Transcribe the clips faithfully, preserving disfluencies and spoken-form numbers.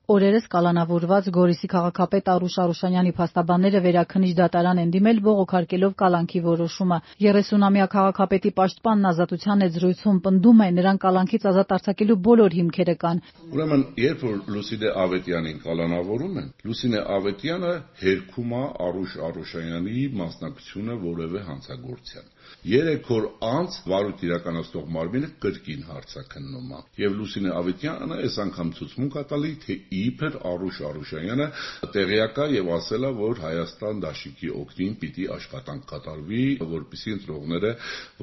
Օրերս կալանավորված Գորիսի քաղաքապետ Արուշ Արուշանյանի փաստաբանները վերաքննիչ դատարան են դիմել բողոքարկելով կալանքի որոշումը։ երեսունամյա քաղաքապետի պաշտպանն Ազատության հետ զրույցում պնդում է, նրան կալանքից ազատ արձակելու բոլոր հիմքերը կան։ Ուրեմն, երբ որ Լուսինե Ավետյանին կալանավորում են, Լուսինե Ավետյանը հերքում է Արուշ Արուշանյանի մասնակցությունը որևէ հանցագործության։ Երեք օր անց վարույթ իրականացնող մարմինը կրկին հարցաքննում է։ Եվ Լուսինե Ավետյանը այս անգամ ցուցմունք է տալի, թե իբր Արուշ Արուշանյանը տեղյակ է եւ ասել է, որ Հայաստան դաշինքի օգտին պիտի աշխատանք կատարվի, որպեսզի ընտրողները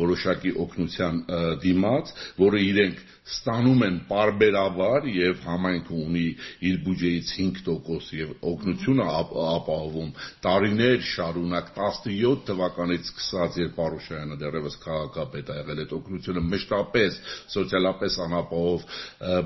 որոշակի օգնության դիմաց, որը իրենք ստանում են պարբերաբար եւ համայնքը ունի իր բյուջեից հինգ տոկոս եւ օգնությունը ապահովում տարիներ շարունակ տասնյոթ թվականից սկսած, երբ Արուշյանը դեռևս քաղաքապետ է եղել, այդ օգնությունը մշտապես սոցիալապես անապահով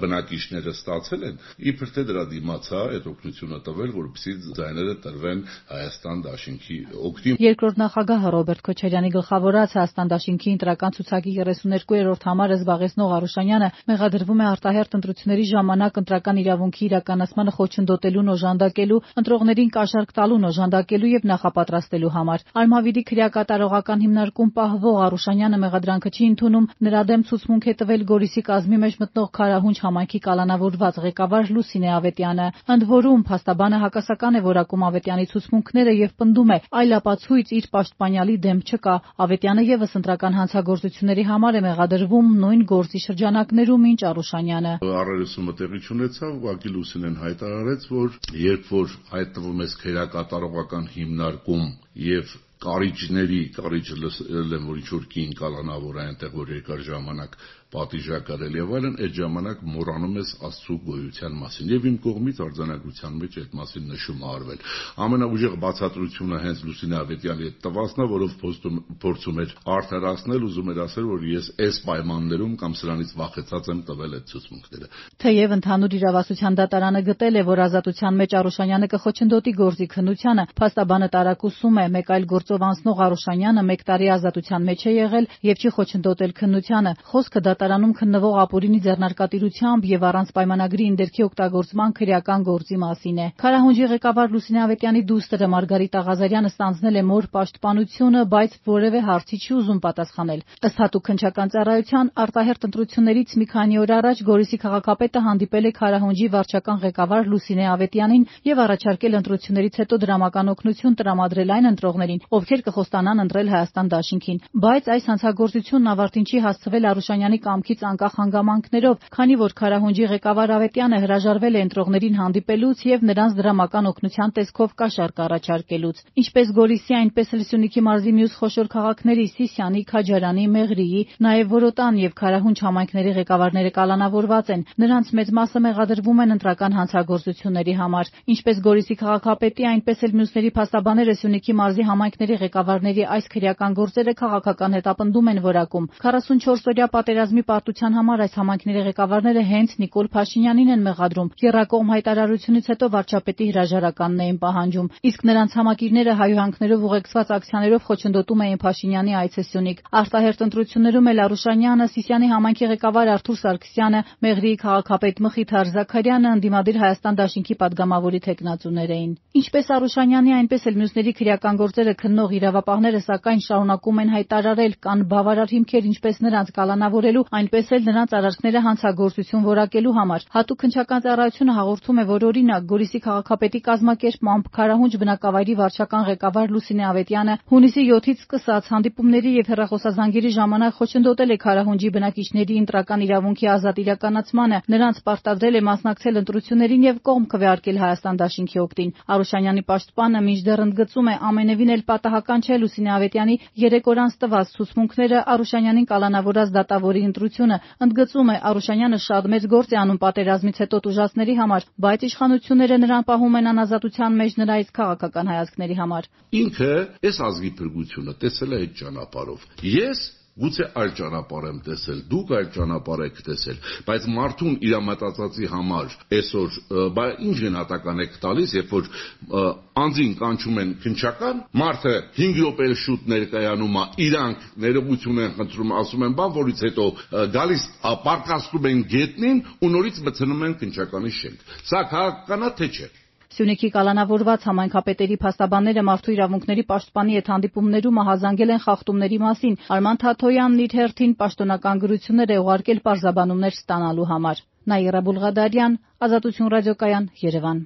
բնակիչները ստացել են, իբր թե դրա դիմաց է այդ օգնությունը տվել, որպեսզի ձայները տրվեն Հայաստան դաշինքի օգտին։ Երկրորդ նախագահ Ռոբերտ Քոչարյանի գլխավորած Հայաստան դաշինքի ընտրական ցուցակի երեսուներկուերորդ համարը զբաղեցնող Արուշանյանը մեղադրվում է արտահերթ ընտրությունների ժամանակ ընտրական իրավունքի իրականացմանը խոչընդոտելուն օժանդակելու, ընտրողներին կաշառք տալուն օժանդակելու եւ նախապատրաստելու համար։ Արմավիրի քրեակատարողական հիմնարկում պահվող Արուշանյանը մեղադրանքը չի ընդունում, նրա դեմ ցուցմունք է տվել Գորիսի կազմի մեջ մտնող Քարահունչ համայնքի կալանավորված ղեկավար Լուսինե Ավետյանը։ Ընդ որում, փաստաբանը հակասական է որակում Ավետյանի ցուցմունքները եւ պնդում է, այլ ապացույց իր պաշտպանյալի դեմ չկա։ Ավետյանը եւս ընտրական հանցագործությունների համար է մեղադրվում նույն գործի շրջանակներում, ինչ Արուշանյանը։ Առերեսումը տեղի չունեցավ, ուղղակի Լուսինեն հայտարարեց, որ երբ որ հայտնվում ես քրեակատարողական հիմնարկում եւ կարիճների, կարիճը լսել եմ, որ ինչ-որ կին կալանավոր է այնտեղ, որ երկար ժամանակ պատիժ կրել եւ այլն, այդ ժամանակ մոռանում ես Աստծո գոյության մասին եւ իմ կողմից արձանագրության մեջ այդ մասին նշում է արվել։ Ամենաուժեղ բացատրությունը հենց Լուսինե Ավետյանի այդ տվածն է, որով փորձում էր արդարացնել, ուզում էր ասել, որ ես այս պայմաններում կամ սրանից վախեցած եմ տվել այդ ցուցմունքները։ Թեև ընդհանուր իրավասության դատարանը գտել է, որ ազատության մեջ Արուշանյանը կխոչընդոտի գործի քննությանը, փաստաբանը տարակուսում է, մեկ այլ գործով անցնող Արուշանյանը մեկ տարի ազատության մեջ է եղել եւ չի խոչընդոտել քննությանը։ Խոսքը դատարանում քննվող ապօրինի ձեռնարկատիրությամբ եւ առանց պայմանագրի ինդերքի օգտագործման քրեական գործի մասին է։ Քարահունջի ղեկավար Լուսինե Ավետյանի դուստրը Մարգարիտ Աղազարյանը ստանձնել է մոր պաշտպանությունը, բայց որևէ հարցի չի ուզում պատասխանել։ Ըստ հատուկ քննչական ծառայության, արտահերթ ընտրություններից մի քանի օր առաջ Գորիսի քաղաքապետը հանդիպել է Քարահունջի վարչական ղեկավար Լուսինե Ավետյանին եւ առաջարկել ընտրություններից հետո դրամական օգնություն տրամադրել այն ընտրողներին, ովքեր կխոստանան ընտրել Հայաստան դաշինքին։ Բայց այս հանցագործությունն ավարտին չի հասցվել Արուշանյանի կամքից անկախ հանգամանքներով, քանի որ Քարահունջի ղեկավար Ավետյանը հրաժարվել է ընտրողներին հանդիպելուց եւ նրանց դրամական օգնության տեսքով կաշառք առաջարկելուց։ Ինչպես Գորիսի, այնպես էլ Սյունիքի մարզի մյուս խոշոր քաղաքների Սիսիանի, Քաջարանի, Մեղրիի, նաեւ Որոտան եւ Քարահունջ համայնքների ղեկավարները կալանավորված են։ Նրանց մեծ մասը մեղադրվում են ընտրական հանցագործությունների համար։ Ինչպես Գորիսի քաղաքապետի, այնպես էլ մյուսների փաստաբանները Սյունիքի մարզի համայնքների ղեկավարների այս քրեական գործերը քաղաքական հետապնդում են որակում։ քառասունչորս օրյա պատերազմի պարտության համար այս համայնքների ղեկավարները հենց Նիկոլ Փաշինյանին են մեղադրում։ Եռակողմ հայտարարությունից հետո վարչապետի հրաժարականն էին պահանջում, իսկ նրանց համակիրները հայհոյանքներով ուղեկցված ակցիաներով խոչընդոտում էին Փաշինյանի այցը Սյունիք։ Արտահերթ ընտրություններում էլ Արուշանյանը, Սիսիանի համայնքի ղեկավար Արթուր Սարգսյանը, Մեղրիի քաղաքապետ Մխիթար Զաքարյանը ընդդիմադիր Հայաստան դաշինքի падգամավորի թեկնածուներ էին։ Ինչպես Արուշանյանի, այնպես էլ մյուսների քրեական գործերը քննող իրավապահները սակայն շարունակում են հայտարարել, կան բավարար հիմքեր ինչպես նրանց կալանավորելու, այնպես էլ նրանց արարքները հանցագործություն որակելու համար։ Հատուկ քննչական ծառայությունը հաղորդում է, որ օրինակ Գորիսի քաղաքապետի կազմակերպմամբ Քարահունջ բնակավայրի վարչական ղեկավար Լուսինե Ավետյանը հունիսի յոթից սկսած հանդիպումների եւ հեռախոսազանգերի ժամանակ խոչընդոտել է Քարահունջի բնակիչների ընտրական իրավունքի ազատ իրականացմանը, նրանց պարտադրել է մասնակցել ընտրություններին եւ կողմ քվեարկել Հայաստան դաշինքի օգտին։ Արուշանյանի պաշտպանը մինչդեռ ընդգծում է, ամենևին էլ պատահական չէ Լուսինե Ավետյանի երեք օր անց տված ցուցմունքները Արուշանյանին կալանավորած դատավորի ընտրությունը։ Ընդգծում է, Արուշանյանը շատ մեծ գործ է անում պատերազմից հետո տուժածների համար, բայց իշխանությունները նրան պահում են անազատության մեջ նրա իսկ քաղաքական հայացքների համար։ Ինքը այս ազգի փրկությունը տեսել է այդ ճանապարհով։ Ես Գուցե այլ ճանապարհ եմ տեսել, դուք այլ ճանապարհ եք տեսել, բայց մարդուն իր մտածածի համար այսօր բա ինչ գնահատական եք տալիս, երբ որ անձին կանչում են քննչական, մարդը հինգ րոպե շուտ ներկայանում է, իրանք ներողություն են խնդրում, ասում են բան, որից հետո գալիս պարկաստում են գետնին ու նորից մտցնում են քննչականի շենք։ Սա քաղաքական է թե չէ։ Սյունիքի կալանավորված համայնքապետերի փաստաբանները մարդու իրավունքների պաշտպանի հետ հանդիպումներում ահազանգել են խախտումների մասին։ Արման Թաթոյանն իր հերթին պաշտոնական գրություններ է ուղարկել պարզաբանումներ ստանալու համար։ Նաիրա Բուլղադարյան, Ազատություն ռադիոկայան, Երևան։